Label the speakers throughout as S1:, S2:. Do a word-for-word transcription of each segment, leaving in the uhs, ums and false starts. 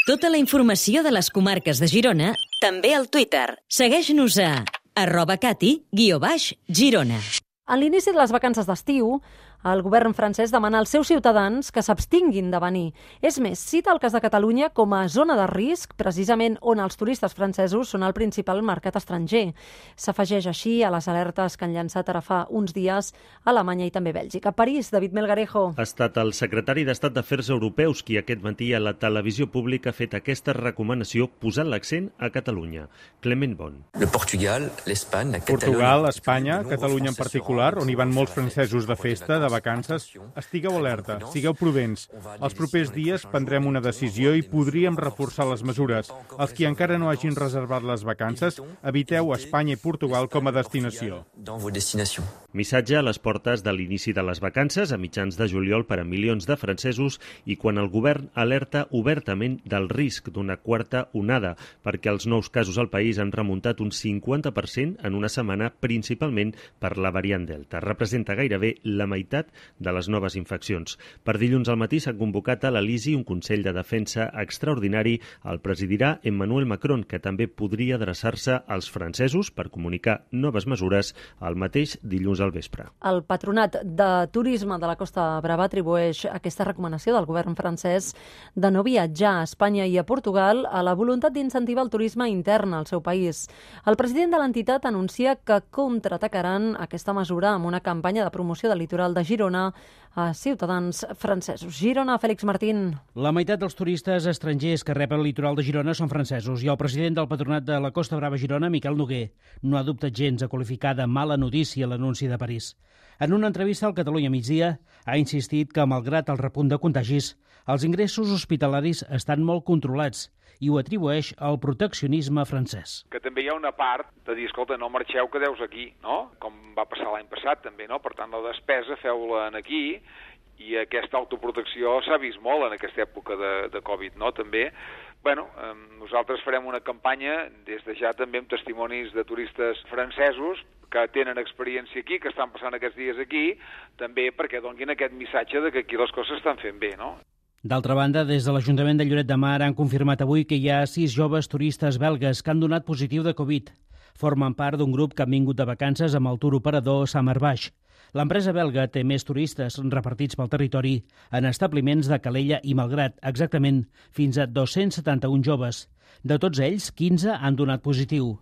S1: Tota la informació de les comarques de Girona, també al Twitter. Segueix-nos a arroba cati guió baix Girona.
S2: A l'inici de les vacances d'estiu, el govern francès demana als seus ciutadans que s'abstinguin de venir. És més, cita el cas de Catalunya com a zona de risc, precisament on els turistes francesos són el principal mercat estranger. S'afegeix així a les alertes que han llançat ara fa uns dies a Alemanya i també Bèlgica. A París, David Melgarejo.
S3: Ha estat el secretari d'Estat d'Afers Europeus qui aquest matí a la televisió pública ha fet aquesta recomanació posant l'accent a Catalunya. Clement Bon.
S4: El Portugal, l'Espanya, la Catalunya...
S5: Portugal, Espanya, Catalunya en particular, on hi van molts francesos de festa, de vacances, estigueu alerta, sigueu prudents. Els propers dies prendrem una decisió i podríem reforçar les mesures. Els qui encara no hagin reservat les vacances, eviteu Espanya i Portugal com a destinació.
S3: Missatge a les portes de l'inici de les vacances, a mitjans de juliol per a milions de francesos i quan el govern alerta obertament del risc d'una quarta onada, perquè els nous casos al país han remuntat un cinquanta per cent en una setmana, principalment per la variant Delta. Representa gairebé la meitat de les noves infeccions. Per dilluns al matí s'ha convocat a l'Elisi un Consell de Defensa extraordinari. El presidirà Emmanuel Macron, que també podria adreçar-se als francesos per comunicar noves mesures el mateix dilluns al vespre.
S2: El Patronat de Turisme de la Costa Brava atribueix aquesta recomanació del govern francès de no viatjar a Espanya i a Portugal a la voluntat d'incentivar el turisme intern al seu país. El president de l'entitat anuncia que contraatacaran aquesta mesura amb una campanya de promoció del litoral de Girona a ciutadans francesos. Girona, Fèlix Martín.
S6: La meitat dels turistes estrangers que rep el litoral de Girona són francesos i el president del Patronat de la Costa Brava Girona, Miquel Noguer, no ha dubtat gens a qualificar de mala notícia l'anunci de París. En una entrevista al Catalunya Migdia ha insistit que, malgrat el repunt de contagis, els ingressos hospitalaris estan molt controlats i ho atribueix al proteccionisme francès.
S7: Que també hi ha una part de dir, escolta, no marxeu, quedeu aquí, no? Com va passar l'any passat també, no? Per tant, la despesa feu-la aquí i aquesta autoprotecció s'ha vist molt en aquesta època de, de Covid, no? També, bueno, eh, nosaltres farem una campanya des de ja també amb testimonis de turistes francesos que tenen experiència aquí, que estan passant aquests dies aquí, també perquè donguin aquest missatge de que aquí les coses estan fent bé, no?
S6: D'altra banda, des de l'Ajuntament de Lloret de Mar han confirmat avui que hi ha sis joves turistes belgues que han donat positiu de Covid. Formen part d'un grup que han vingut de vacances amb el tour operador Summerbash. L'empresa belga té més turistes repartits pel territori en establiments de Calella i Malgrat, exactament fins a dos-cents setanta-un joves. De tots ells, quinze han donat positiu.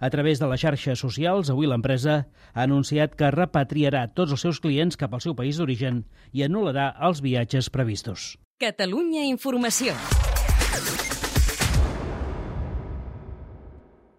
S6: A través de les xarxes socials, avui l'empresa ha anunciat que repatriarà tots els seus clients cap al seu país d'origen i anul·larà els viatges previstos.
S1: Catalunya Informació.